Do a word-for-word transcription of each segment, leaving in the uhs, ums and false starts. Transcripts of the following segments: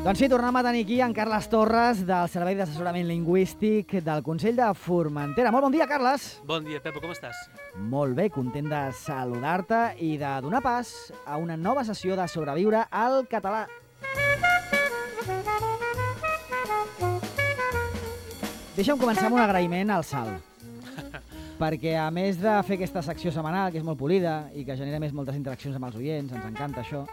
Doncs sí, tornem a tenir aquí en Carles Torres, del Servei d'Assessorament Lingüístic del Consell de Formentera. Molt bon dia, Carles. Bon dia, Pepo, com estàs? Molt bé, content de saludar-te i de donar pas a una nova sessió de Sobreviure al català. Deixa'm començar amb un agraïment al Sal, perquè a més de fer aquesta secció setmanal, que és molt polida i que genera més moltes interaccions amb els oients, ens encanta això,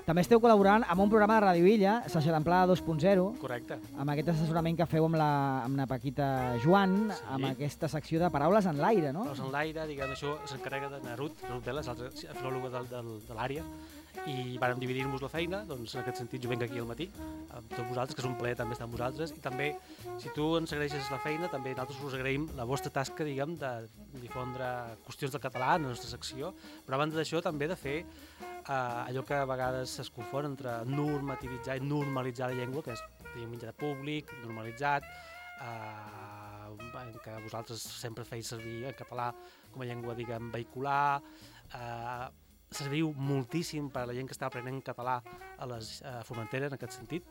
també esteu col·laborant amb un programa de Ràdio Illa, Sessió d'Amplada dos punt zero. Correcte. Amb aquest assessorament que feu amb la, amb la Paquita Joan, sí. Amb aquesta secció de Paraules en l'aire, no? Paraules en l'aire, diguem, això s'encarrega de Narut, Narut Veles, l'altra filòloga del, del, de l'àrea, i vàrem dividir-nos la feina, doncs en aquest sentit jo venc aquí al matí, amb tots vosaltres, que és un plaer també estar amb vosaltres, i també, si tu ens agraeixes la feina, també nosaltres us agraïm la vostra tasca, diguem, de difondre qüestions del català en la nostra secció, però abans d'això també de fer Uh, allò que a vegades es confon entre normativitzar i normalitzar la llengua, que és diguem, mitjà de públic, normalitzat, uh, que vosaltres sempre feis servir en català com a llengua, diguem, vehicular, uh, serviu moltíssim per a la gent que està aprenent català a les uh, Formentera en aquest sentit,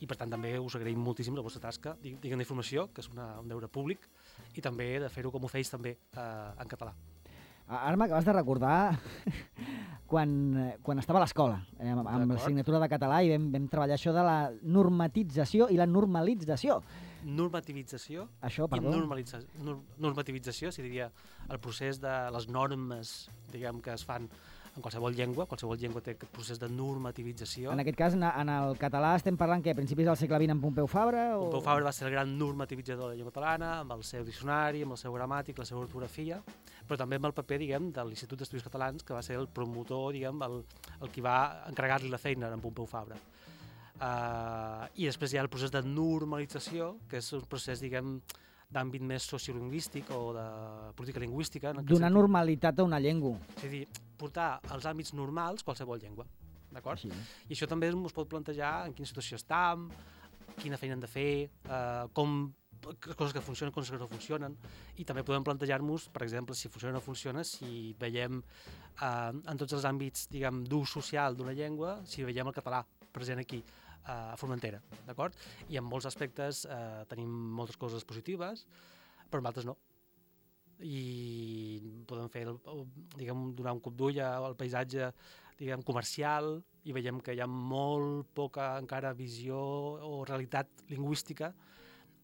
i per tant també us agraïm moltíssim la vostra tasca, diguem, d'informació, que és una, un deure públic, i també de fer-ho com ho feis també uh, en català. Ara m'acabes de recordar quan, quan estava a l'escola, eh, amb, amb l'assignatura de català, i vam, vam treballar això de la normatització i la normalització. Normativització això, i normalitza, nor, normativització, si diria, el procés de les normes, diguem, que es fan en qualsevol llengua, qualsevol llengua té aquest procés de normativització. En aquest cas, en, en el català estem parlant que a principis del segle vint amb Pompeu Fabra? O... Pompeu Fabra va ser el gran normativitzador de la llengua catalana, amb el seu diccionari, amb el seu gramàtic, la seva ortografia, però també amb el paper, diguem, de l'Institut d'Estudis Catalans, que va ser el promotor, diguem, el, el qui va encarregar-li la feina a en Pompeu Fabra. Uh, I després hi ha el procés de normalització, que és un procés, diguem, d'àmbit més sociolingüístic o de política lingüística. Donar normalitat a una llengua. És a dir, portar als àmbits normals qualsevol llengua, d'acord? I això també es pot plantejar en quina situació estem, quina feina hem de fer, eh, com coses que funcionen, coses que no funcionen, i també podem plantejar-nos, per exemple, si funciona o no funciona, si veiem eh, en tots els àmbits, diguem, d'ús social d'una llengua, si veiem el català present aquí, a Formentera, d'acord? I en molts aspectes eh, tenim moltes coses positives, però en altres no. I podem fer, diguem, donar un cop d'ull al paisatge, diguem, comercial, i veiem que hi ha molt poca encara visió o realitat lingüística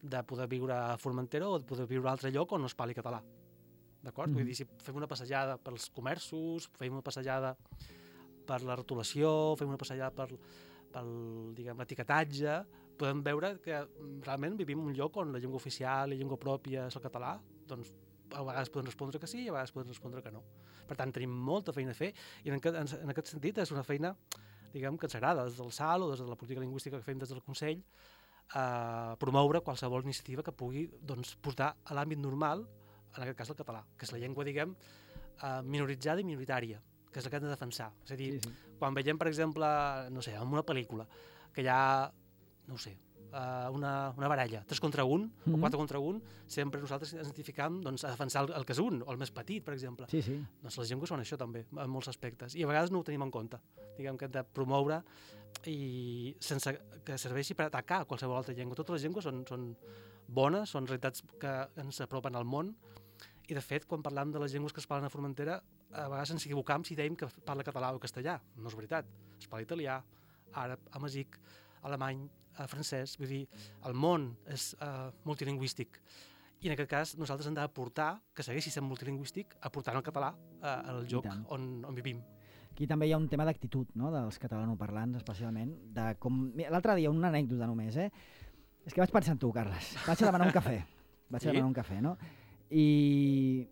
de poder viure a Formentera o de poder viure a un altre lloc on no es parli català, d'acord? Mm. Vull dir, si fem una passejada pels comerços, fem una passejada per la rotulació, fem una passejada per pel, diguem, l'etiquetatge, podem veure que realment vivim en un lloc on la llengua oficial i la llengua pròpia és el català, doncs a vegades podem respondre que sí i a vegades podem respondre que no. Per tant, tenim molta feina a fer i en aquest, en aquest sentit és una feina, diguem, que ens agrada des del S A L o des de la política lingüística que fem des del Consell, eh, promoure qualsevol iniciativa que pugui, doncs, portar a l'àmbit normal, en aquest cas el català, que és la llengua, diguem, eh, minoritzada i minoritària, que és la que hem de defensar. És a dir, sí, sí. Quan veiem, per exemple, no sé, en una pel·lícula, que hi ha, no sé, una, una baralla, tres contra un, mm-hmm. o quatre contra un, sempre nosaltres ens identificam, doncs, a defensar el, el que és un, o el més petit, per exemple. Sí, sí. Doncs les llengües són això també, en molts aspectes, i a vegades no ho tenim en compte. Diguem que hem de promoure i sense que serveixi per atacar qualsevol altra llengua. Totes les llengües són, són bones, són realitats que ens apropen al món, i de fet, quan parlam de les llengües que es parlen a Formentera, a vegades ens equivocam si dèiem que parla català o castellà. No és veritat. Es parla italià, àrab, amazic, alemany, francès. Vull dir, el món és uh, multilingüístic. I en aquest cas nosaltres hem d'aportar, que segueixi sent multilingüístic, aportant el català uh, al lloc on, on vivim. Aquí també hi ha un tema d'actitud, no?, dels catalanoparlants, especialment. De com... L'altre dia, una anècdota només, eh? És que vaig pensar en tu, Carles. Vaig a demanar un cafè. Vaig sí? a demanar un cafè, no? I...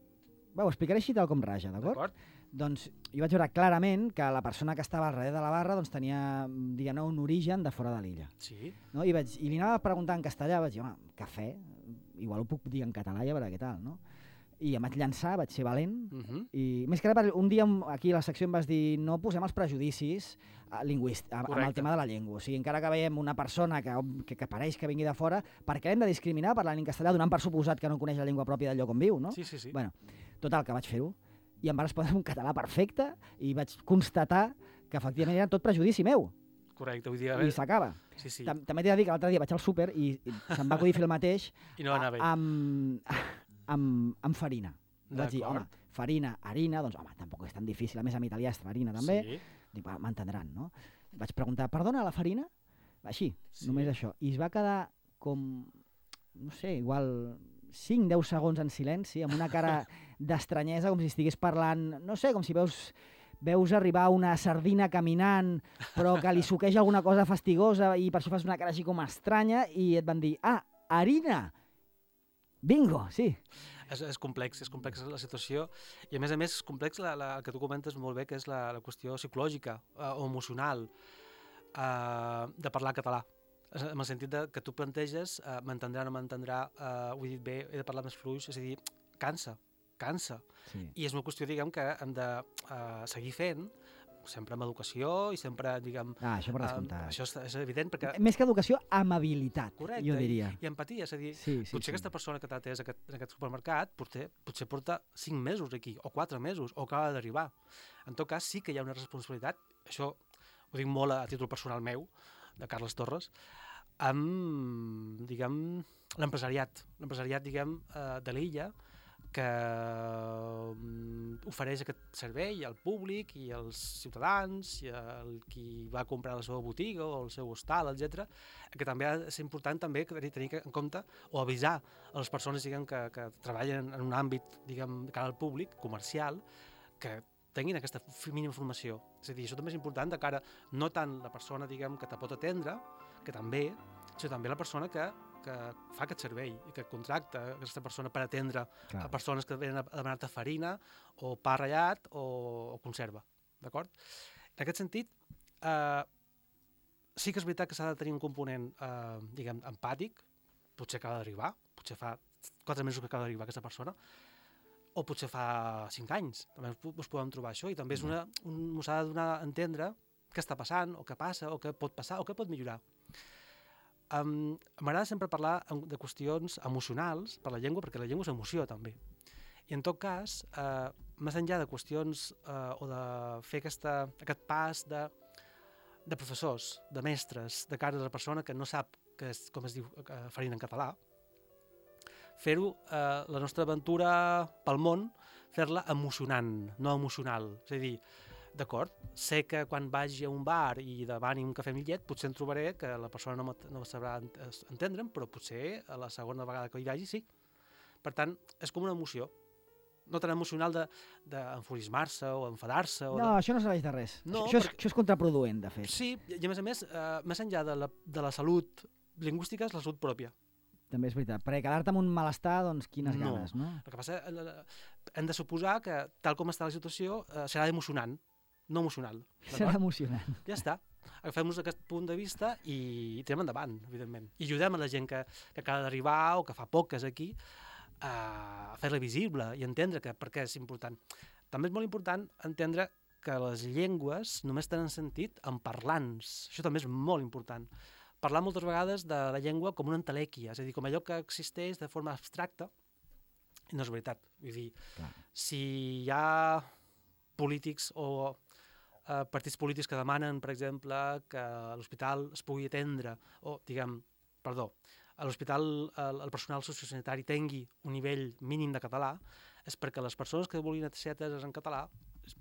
Bé, ho explicaré així tal com raja, d'acord? Doncs jo vaig veure clarament que la persona que estava al darrere de la barra doncs, tenia, diguem-ne, un origen de fora de l'illa. Sí. No? I, vaig, I li anava a preguntar en castellà, vaig dir, home, cafè, igual ho puc dir en català i a veure què tal, no? i em vaig llançar, vaig ser valent, Uh -huh. i més que res, un dia aquí a la secció em vas dir no posem els prejudicis lingüístics amb el tema de la llengua. O sigui, encara que veiem una persona que, que, que pareix que vingui de fora, per què hem de discriminar parlant en castellà donant per suposat que no coneix la llengua pròpia del lloc on viu, no? Sí, sí, sí. Bueno, total, que vaig fer-ho, i em va respondre en un català perfecte, i vaig constatar que efectivament era tot prejudici meu. Correcte, vull dir... I s'acaba. Sí, sí. També t'he de dir que l'altre dia vaig al súper i, i se'm va acudir fer el mateix I no va anar bé. amb, amb, amb farina. Vaig dir, home, farina, harina, doncs home, tampoc és tan difícil. A més, en italià és farina també. Sí. Dic, m'entendran, no? Vaig preguntar, perdona, la farina? Així, sí. Només això. I es va quedar com, no sé, igual cinc a deu segons en silenci, amb una cara d'estranyesa, com si estigués parlant, no sé, com si veus... veus arribar una sardina caminant però que li suqueja alguna cosa fastigosa i per això fas una cara així com estranya i et van dir, ah, harina! Bingo, sí. És, és complex, és complexa la situació i a més a més és complex la, la que tu comentes molt bé, que és la, la qüestió psicològica eh, o emocional eh, de parlar català. En el sentit de que tu planteges, eh, m'entendrà o no m'entendrà, eh, ho he dit bé, he de parlar més fluix, és a dir, cansa. cansa. Sí. I és una qüestió, diguem, que hem de uh, seguir fent, sempre amb educació i sempre, diguem... Ah, això per descomptar. Uh, això és, és evident perquè... Més que educació, amabilitat, correcte, jo diria. I, i empatia, és a dir, sí, sí, potser sí. aquesta persona que t'ha atès aquest, en aquest supermercat potser, potser porta cinc mesos aquí, o quatre mesos, o acaba d'arribar. En tot cas, sí que hi ha una responsabilitat, això ho dic molt a títol personal meu, de Carles Torres, amb, diguem, l'empresariat, l'empresariat, diguem, uh, de l'illa, que um, ofereix aquest servei al públic i als ciutadans i al qui va comprar la seva botiga o el seu hostal, etcètera, que també ha de ser important també tenir en compte o avisar a les persones, diguem, que, que treballen en un àmbit, diguem, de cara al públic, comercial, que tinguin aquesta mínima informació. És a dir, això també és important de cara no tant la persona, diguem, que te pot atendre, que també, sinó també la persona que que fa aquest servei i que contracta aquesta persona per atendre Clar. a persones que venen a demanar-te farina o pa ratllat o, o conserva, d'acord? En aquest sentit, eh, sí que és veritat que s'ha de tenir un component, eh, diguem, empàtic, potser acaba d'arribar, potser fa quatre mesos que acaba d'arribar aquesta persona, o potser fa cinc anys, també us podem trobar això, i també és una, un, s'ha de donar a entendre què està passant, o què passa, o què pot passar, o què pot millorar. Um, M'agrada sempre parlar de qüestions emocionals per la llengua, perquè la llengua és emoció també. I en tot cas, eh, més enllà de qüestions eh, o de fer aquesta, aquest pas de, de professors, de mestres, de cara a la persona que no sap que és, com es diu farina en català, fer-ho, eh, la nostra aventura pel món, fer-la emocionant, no emocional. És a dir, d'acord, sé que quan vagi a un bar i demani un cafè amb llet, potser em trobaré que la persona no, no sabrà entendre'm, però potser a la segona vegada que hi vagi sí. Per tant, és com una emoció. No tan emocional d'enfurismar-se o enfadar-se. O no, de... això no serveix de res. No, això, perquè... és, això és contraproduent, de fet. Sí, i a més a més, eh, més enllà de la, de la salut lingüística, és la salut pròpia. També és veritat. Perquè quedar-te amb un malestar, doncs quines no. ganes, no? El que passa, hem de suposar que, tal com està la situació, eh, serà emocionant. No emocional. Serà emocionant. Ja està. Agafem-nos aquest punt de vista i tirem endavant, evidentment. I ajudem a la gent que, que acaba d'arribar o que fa poc que és aquí a fer-la visible i entendre que per què és important. També és molt important entendre que les llengües només tenen sentit en parlants. Això també és molt important. Parlar moltes vegades de la llengua com una entelèquia, és a dir, com allò que existeix de forma abstracta, i no és veritat. Vull dir, Clar. si hi ha polítics o eh, partits polítics que demanen, per exemple, que a l'hospital es pugui atendre, o, diguem, perdó, a l'hospital el, el personal sociosanitari tingui un nivell mínim de català, és perquè les persones que vulguin ser ateses en català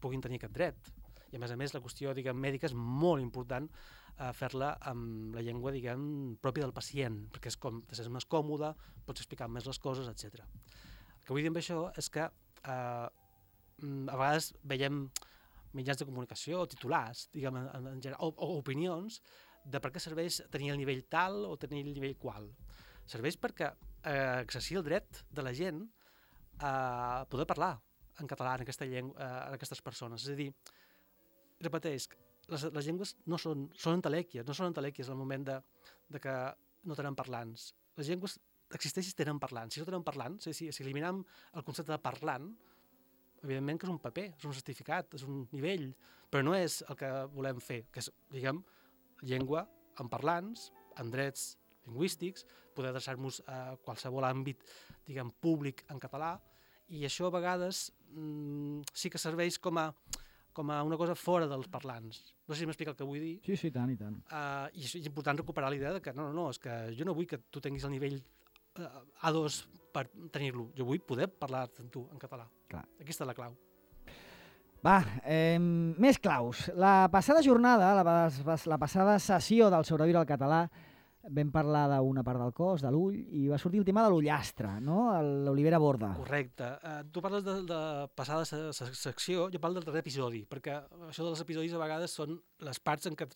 puguin tenir aquest dret. I a més a més la qüestió, diguem, mèdica és molt important eh, fer-la amb la llengua, diguem, pròpia del pacient, perquè és com, és més còmode, pots explicar més les coses, etcètera. El que vull dir amb això és que eh, a vegades veiem mitjans de comunicació, o titulars, diguem, en, en general, o, o opinions de per què serveix tenir el nivell tal o tenir el nivell qual. Serveix perquè eh, exercir el dret de la gent a poder parlar en català en, aquesta llengua, eh, en aquestes persones. És a dir, repeteix, les, les llengües no són, són entelèquies, no són entelèquies al moment de, de que no tenen parlants. Les llengües existeix si tenen parlant. Si no tenen parlant, si, si, si eliminem el concepte de parlant, evidentment que és un paper, és un certificat, és un nivell, però no és el que volem fer, que és, diguem, llengua en parlants, en drets lingüístics, poder adreçar-nos a qualsevol àmbit, diguem, públic en català, i això a vegades mmm, sí que serveix com a, com a una cosa fora dels parlants. No sé si m'explica el que vull dir. Sí, sí, tant i tant. Uh, I és important recuperar la idea de que no, no, no, és que jo no vull que tu tinguis el nivell uh, A dos per tenir-lo. Jo vull poder parlar amb tu en català. Clar. Aquesta és la clau. Va, eh, més claus. La passada jornada, la, la passada sessió del Sobreviure al català, vam parlar d'una part del cos, de l'ull, i va sortir el tema de l'ullastre, no? L'Olivera Borda. Correcte. Uh, tu parles de, de passada se, se, secció, jo parlo del darrer episodi, perquè això dels episodis a vegades són les parts en què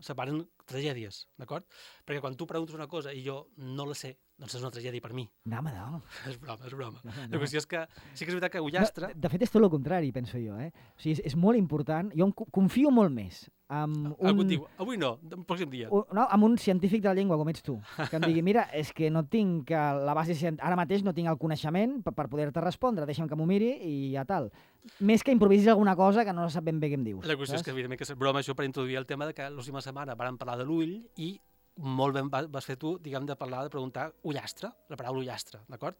separen tragèdies, d'acord? Perquè quan tu preguntes una cosa i jo no la sé, doncs és una tragèdia per mi. No, home, no. És broma, és broma. No, no. La qüestió és que sí que és veritat que ullastre... No, de fet, és tot el contrari, penso jo. Eh? O sigui, és, és molt important. Jo confio molt més amb un... Algú et diu, avui no, el pròxim dia. Un, no, amb un científic de la llengua, com ets tu, que em digui, mira, és que no tinc la base... Ara mateix no tinc el coneixement per, per poder-te respondre, deixa'm que m'ho miri i ja tal. Més que improvisis alguna cosa que no sap ben bé què em dius. La qüestió saps? És que, evidentment, que és broma això per introduir el tema de que l'última setmana vam parlar de l'ull i molt ben vas fer tu, diguem, de parlar, de preguntar ullastre, la paraula ullastre, d'acord?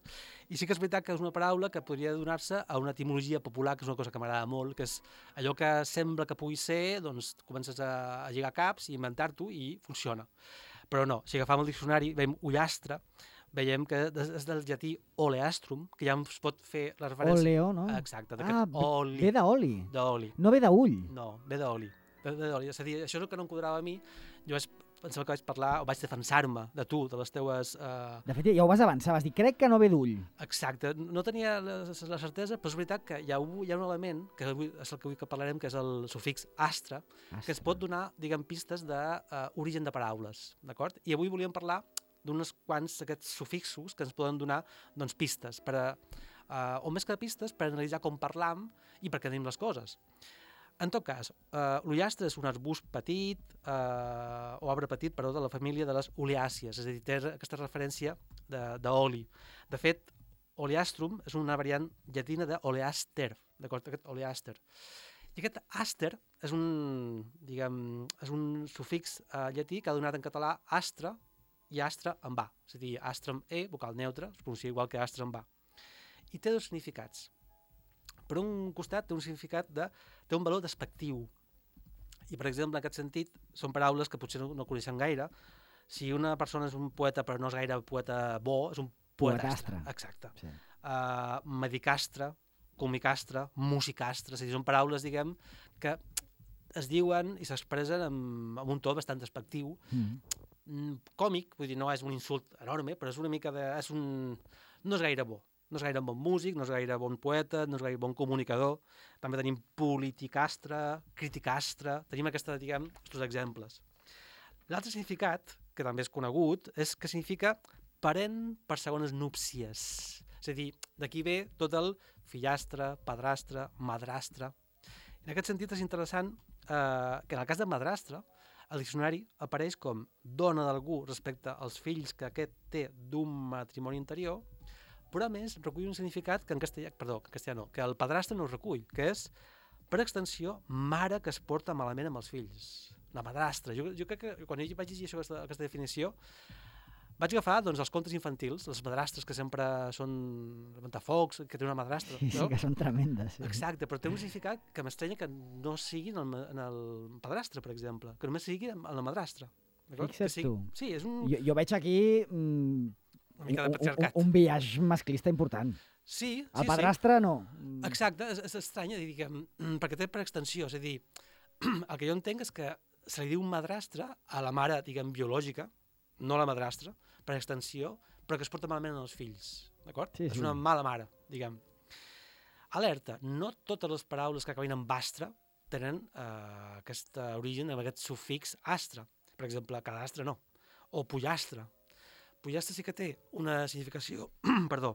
I sí que és veritat que és una paraula que podria donar-se a una etimologia popular, que és una cosa que m'agrada molt, que és allò que sembla que pugui ser, doncs comences a, a lligar caps i inventar-t'ho i funciona. Però no, si agafam el diccionari, veiem ullastre, veiem que és del llatí oleastrum, que ja ens pot fer la referència... Oleo, no? Exacte, ah, oli. Ve d'oli. D'oli. No ve d'ull. No, ve d'oli. És a dir, això és el que no em quadrava a mi. Jo vaig pensava que vaig parlar, o vaig defensar-me de tu, de les teues... Uh... De fet, ja ho vas avançar, vas dir, crec que no ve d'ull. Exacte, no tenia la, la certesa, però és veritat que hi ha, hi ha un element, que és el que avui que parlarem, que és el sufix astre, astre. que ens pot donar, diguem, pistes d'origen de, uh, de paraules, d'acord? I avui volíem parlar d'uns quants aquests sufixos que ens poden donar, doncs, pistes, per a, uh, o més que pistes, per analitzar com parlam i per què tenim les coses. En tot cas, uh, l'ullastre és un arbust petit, uh, o arbre petit, perdó, de la família de les oleàcies, és a dir, té aquesta referència d'oli. De, de fet, oleastrum és una variant llatina d'oleaster, d'acord? Aquest oleaster. I aquest aster és un, diguem, és un sufix uh, llatí que ha donat en català astre i astre en va, és a dir, astre amb e, vocal neutre, es pronuncia igual que astre en va. I té dos significats. Per un costat té un significat de... té un valor despectiu. I, per exemple, en aquest sentit, són paraules que potser no, no coneixem gaire. Si una persona és un poeta però no és gaire poeta bo, és un poetastre. Exacte. Sí. Uh, medicastre, comicastre, musicastre, és a dir, són paraules, diguem, que es diuen i s'expressen amb, amb un to bastant despectiu. Mm. Còmic, vull dir, no és un insult enorme, però és una mica de... És un, no és gaire bo. No és gaire bon músic, no és gaire bon poeta, no és gaire bon comunicador. També tenim politicastre, criticastre, tenim aquesta, diguem, aquests exemples. L'altre significat, que també és conegut, és que significa parent per segones núpcies. És a dir, d'aquí ve tot el fillastre, padrastre, madrastre. En aquest sentit és interessant eh, que en el cas de madrastre, el diccionari apareix com dona d'algú respecte als fills que aquest té d'un matrimoni anterior, però a més recull un significat que en castellà, perdó, que en castellà no, que el padrastre no recull, que és, per extensió, mare que es porta malament amb els fills. La madrastra. Jo, jo crec que quan jo vaig llegir això, aquesta, aquesta definició, vaig agafar doncs, els contes infantils, les madrastres que sempre són ventafocs, que té una madrastra. Sí, no? Sí, que són tremendes. Sí. Exacte, però té un significat que m'estranya que no sigui en el, en el padrastre, per exemple, que només sigui en la madrastra. Fixa't sigui... tu. Sí, és un... Jo, jo veig aquí... Mm... una mica de patriarcat. Un, un, un viatge masclista important. Sí, sí, el padrastre sí. no. Exacte, és, és estrany, diguem, perquè té per extensió, és a dir, el que jo entenc és que se li diu madrastre a la mare, diguem, biològica, no a la madrastra, per extensió, però que es porta malament als fills, d'acord? Sí, sí. És una mala mare, diguem. Alerta, no totes les paraules que acaben amb astre tenen eh, aquest origen amb aquest sufix astre. Per exemple, cadastre no, o pollastre. Pollastre sí que té una significació, perdó,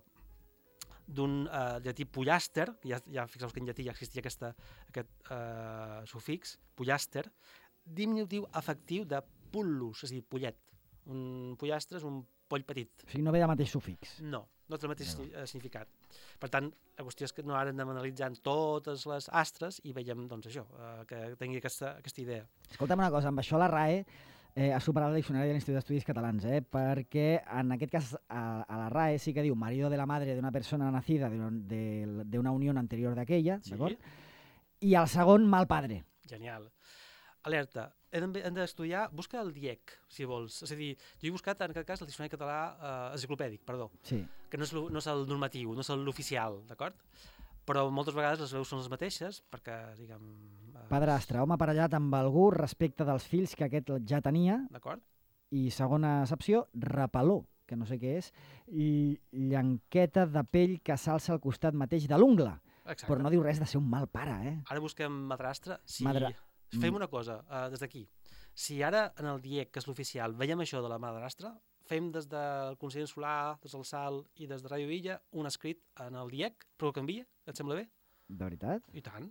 d'un uh, llatí pollaster, ja, ja fixeu que en llatí ja existia aquesta, aquest uh, sufix, pollaster, diminutiu afectiu de pullus, és a dir, pollet. Un pollastre és un poll petit. O sigui, no ve del mateix sufix. No, no té el mateix no. significat. Per tant, la qüestió és que no ara anem analitzant totes les astres i veiem, doncs, això, eh, que tingui aquesta, aquesta idea. Escolta'm una cosa, amb això la R A E eh, ha superat el diccionari de l'Institut d'Estudis Catalans, eh, perquè en aquest cas a, a la R A E sí que diu marido de la madre de una persona nacida de, de, de una unión anterior d'aquella, Sí. d'acord? I el segon, mal padre. Genial. Alerta, hem de- hem d'estudiar, busca el D I E C, si vols. És a dir, jo he buscat en aquest cas el diccionari català eh, enciclopèdic, perdó, Sí. que no és, lo- no és el normatiu, no és l'oficial, d'acord? Però moltes vegades les veus són les mateixes, perquè, diguem... Eh, Padrastre, home aparellat amb algú respecte dels fills que aquest ja tenia. D'acord? I segona accepció, repeló, que no sé què és, i llanqueta de pell que s'alça al costat mateix de l'ungla. Exacte. Però no diu res de ser un mal pare, eh? Ara busquem madrastre. Si... Madra- Fem Mm. una cosa, uh, des d'aquí. Si ara en el D I E C, que és l'oficial, veiem això de la madrastra, fem des del Consell Insular, des del SAL i des de Ràdio Illa un escrit en el D I E C, però ho canvia? Et sembla bé? De veritat? I tant.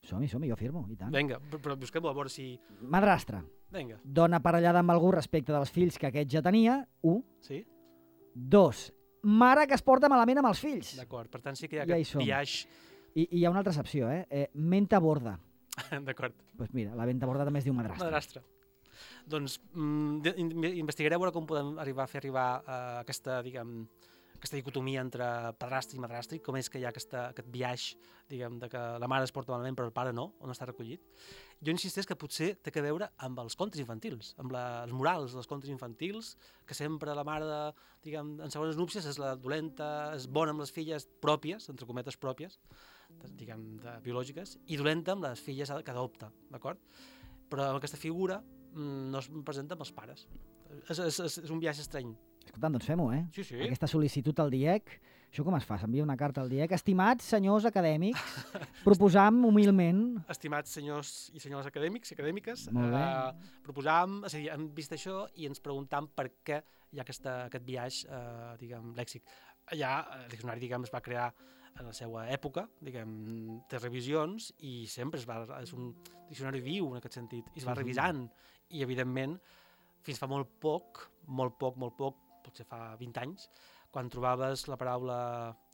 Som-hi, som-hi, jo firmo, i tant. Vinga, però, però busquem-ho a veure si... Madrastre, Vinga, dona aparellada amb algú respecte dels fills que aquest ja tenia, un. sí? Dos, mare que es porta malament amb els fills. D'acord, per tant sí que hi ha Ja hi aquest som. biaix... I, I hi ha una altra excepció, eh? eh menta borda. D'acord, Doncs pues mira, la venta borda també es diu madrastre. madrastre. Doncs mm, de- in- investigaré a veure com podem arribar a fer arribar uh, aquesta, diguem, aquesta dicotomia entre padrastre i madrastre, i com és que hi ha aquesta, aquest biaix, diguem, de que la mare es porta malament però el pare no, on està recollit. Jo insisteix que potser té a veure amb els contes infantils, amb la, els morals dels contes infantils, que sempre la mare, de, diguem, en segones núpcies és la dolenta, és bona amb les filles pròpies, entre cometes pròpies, de, diguem, de biològiques, i dolenta amb les filles que adopta, d'acord? Però amb aquesta figura mm, no es presenta amb els pares. És, és, és, és un viatge estrany. Escolta, doncs fem-ho, eh? Sí, sí. Aquesta sol·licitud al D I E C, això com es fa? S'envia una carta al D I E C. Estimats senyors acadèmics, proposam humilment... Estimats senyors i senyores acadèmics i acadèmiques, Molt bé. eh, proposam, és a dir, hem vist això i ens preguntam per què hi ha aquesta, aquest viatge, eh, diguem, lèxic. Ja, el diccionari, diguem, es va crear en la seva època, diguem, té revisions i sempre es va, és un diccionari viu en aquest sentit, i es va Mhm. revisant, i evidentment, fins fa molt poc, molt poc, molt poc, potser fa vint anys, quan trobaves la paraula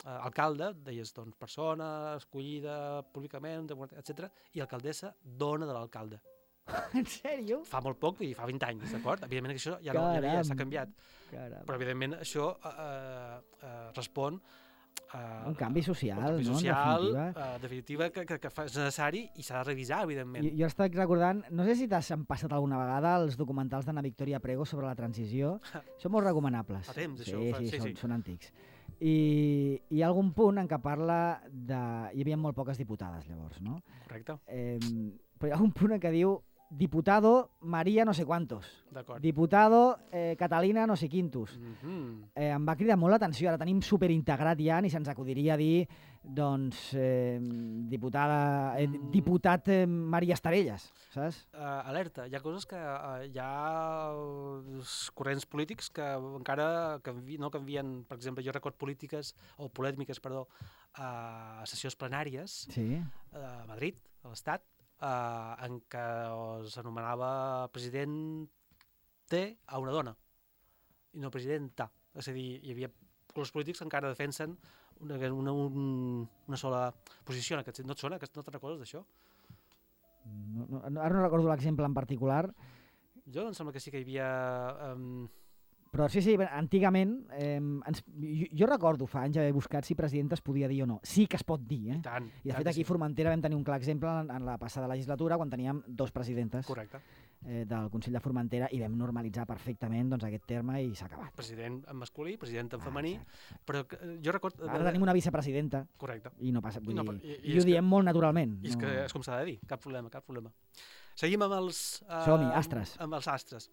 eh, alcalde, deies, doncs, persona escollida públicament, etcètera, i alcaldessa, dona de l'alcalde. En sèrio? Fa molt poc, i fa vint anys, d'acord? Evidentment que això ja, no, ja, ja s'ha canviat, Caram. però evidentment això eh, eh, respon a Un canvi social, un canvi no? En social, definitiva. eh, definitiva, que, que, que fa, és necessari i s'ha de revisar, evidentment. Jo, jo estic recordant, no sé si t'has passat alguna vegada els documentals d'Anna Victòria Prego sobre la transició. Són molt recomanables. Fa temps, sí, això, fa- sí, sí, són, sí. són antics. I hi ha algun punt en què parla de... Hi havia molt poques diputades, llavors, no? Correcte, Eh, però hi ha algun punt en què diu diputado María no sé cuántos, d'acord. diputado eh, Catalina no sé quintos. Mhm. Eh, em va cridar molt l'atenció, ara tenim superintegrat ja, ni se'ns acudiria dir, doncs, eh, diputada, eh, Mm. diputat eh, Maria Estarelles, saps? Uh, alerta, hi ha coses que uh, hi ha els corrents polítics que encara canvi, no canvien, per exemple, jo record polítiques, o polèmiques, perdó, a sessions plenàries Sí. a Madrid, a l'Estat, uh, en què s'anomenava president T a una dona, i no presidenta. És a dir, hi havia colors polítics que encara defensen una, una, un, una sola posició en aquest sentit. No et sona? No te'n recordes d'això? No, no, no- ara no recordo l'exemple en particular, Jo em sembla que sí que hi havia... Um, però sí, sí, antigament, eh, ens, jo, jo recordo fa anys haver buscat si presidenta es podia dir o no. Sí que es pot dir, eh? I tant. I de fet aquí a Formentera vam tenir un clar exemple en, en la passada legislatura quan teníem dos presidentes Correcte. eh, del Consell de Formentera i vam normalitzar perfectament doncs, aquest terme i s'ha acabat. President en masculí, president en Ah, femení, exacte. però que, eh, jo record... Ara tenim una vicepresidenta Correcte. i no passa, vull No, dir, però- i- i, i i ho és que- diem molt naturalment. I és no. que és com s'ha de dir, cap problema, cap problema. Seguim amb els... Uh, Som-hi, astres. Amb els astres.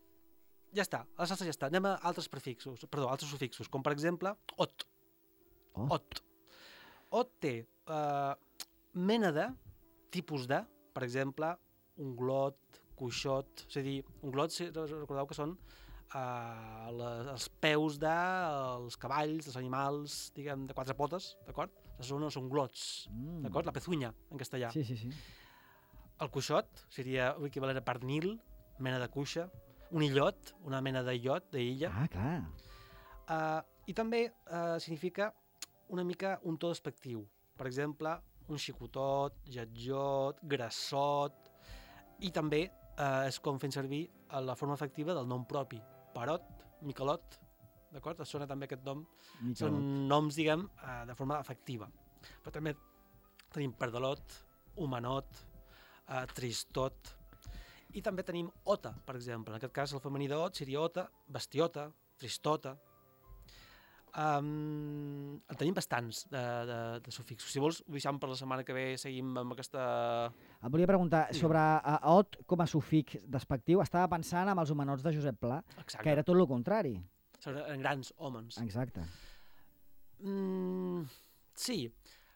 Ja està, els astres ja està. Anem a altres prefixos, perdó, altres sufixos, com per exemple, ot. Oh. Ot. Ot té uh, mena de, tipus de, per exemple, un glot, coixot, és a dir, un glot, si recordeu que són uh, les, els peus dels cavalls, dels animals, diguem, de quatre potes, d'acord? Les zones són glots, Mm. d'acord? La pezunya, en castellà. Sí, sí, sí. El coixot seria l'equivalent a pernil, mena de cuixa. Un illot, una mena d'illot, d'illa. Ah, clar. Uh, I també uh, significa una mica un to despectiu. Per exemple, un xicotot, lletjot, grassot, i també uh, és com fent servir la forma efectiva del nom propi. Perot, Miquelot, d'acord? Es sona també aquest nom. Miquelot. Són noms, diguem, uh, de forma efectiva. Però també tenim pardalot, humanot, uh, tristot, i també tenim ota, per exemple. En aquest cas, el femení d'ot seria ota, bestiota, tristota. Um, en tenim bastants de, de, de sufixos. Si vols, ho deixem per la setmana que ve, seguim amb aquesta... Et volia preguntar, sí. sobre uh, ot com a sufix despectiu, estava pensant en els humanots de Josep Pla, exacte, que era tot el contrari. En grans homes. Exacte. Mm, sí,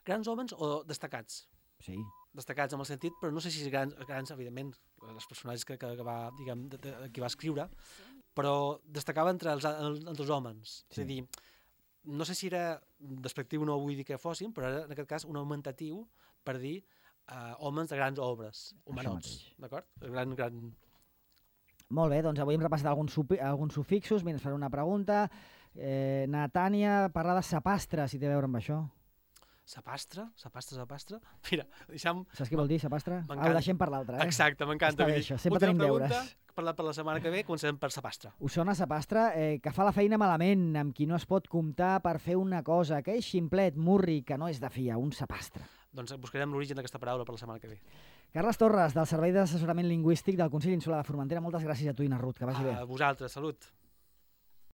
grans homes o destacats. Sí. Destacats en el sentit, però no sé si grans, grans evidentment, els personatges que, que, que va, diguem, de, de, que va escriure, però destacava entre els, entre els homes. Sí. És a dir, no sé si era despectiu, no vull dir que fossin, però era en aquest cas un augmentatiu per dir uh, homes de grans obres, humanots, d'acord? Gran, gran... Molt bé, doncs avui hem repassat alguns, alguns sufixos, mira, ens faré una pregunta. Eh, Natània parla de sapastre, si té a veure amb això. Sapastre? Sapastre, sapastre? Mira, deixem... Saps què vol dir, sapastre? Ah, ho deixem per l'altre, eh? Exacte, m'encanta. Està bé, això. Sempre tenim deures. Per la, per la setmana que ve comencem per sapastre. Us sona sapastre? Eh, que fa la feina malament, amb qui no es pot comptar per fer una cosa, que és ximplet, murri, que no és de fia, un sapastre. Doncs buscarem l'origen d'aquesta paraula per la setmana que ve. Carles Torres, del Servei d'Assessorament Lingüístic del Consell Insular de Formentera, moltes gràcies a tu i a Ruth, que vagi bé. A vosaltres, salut.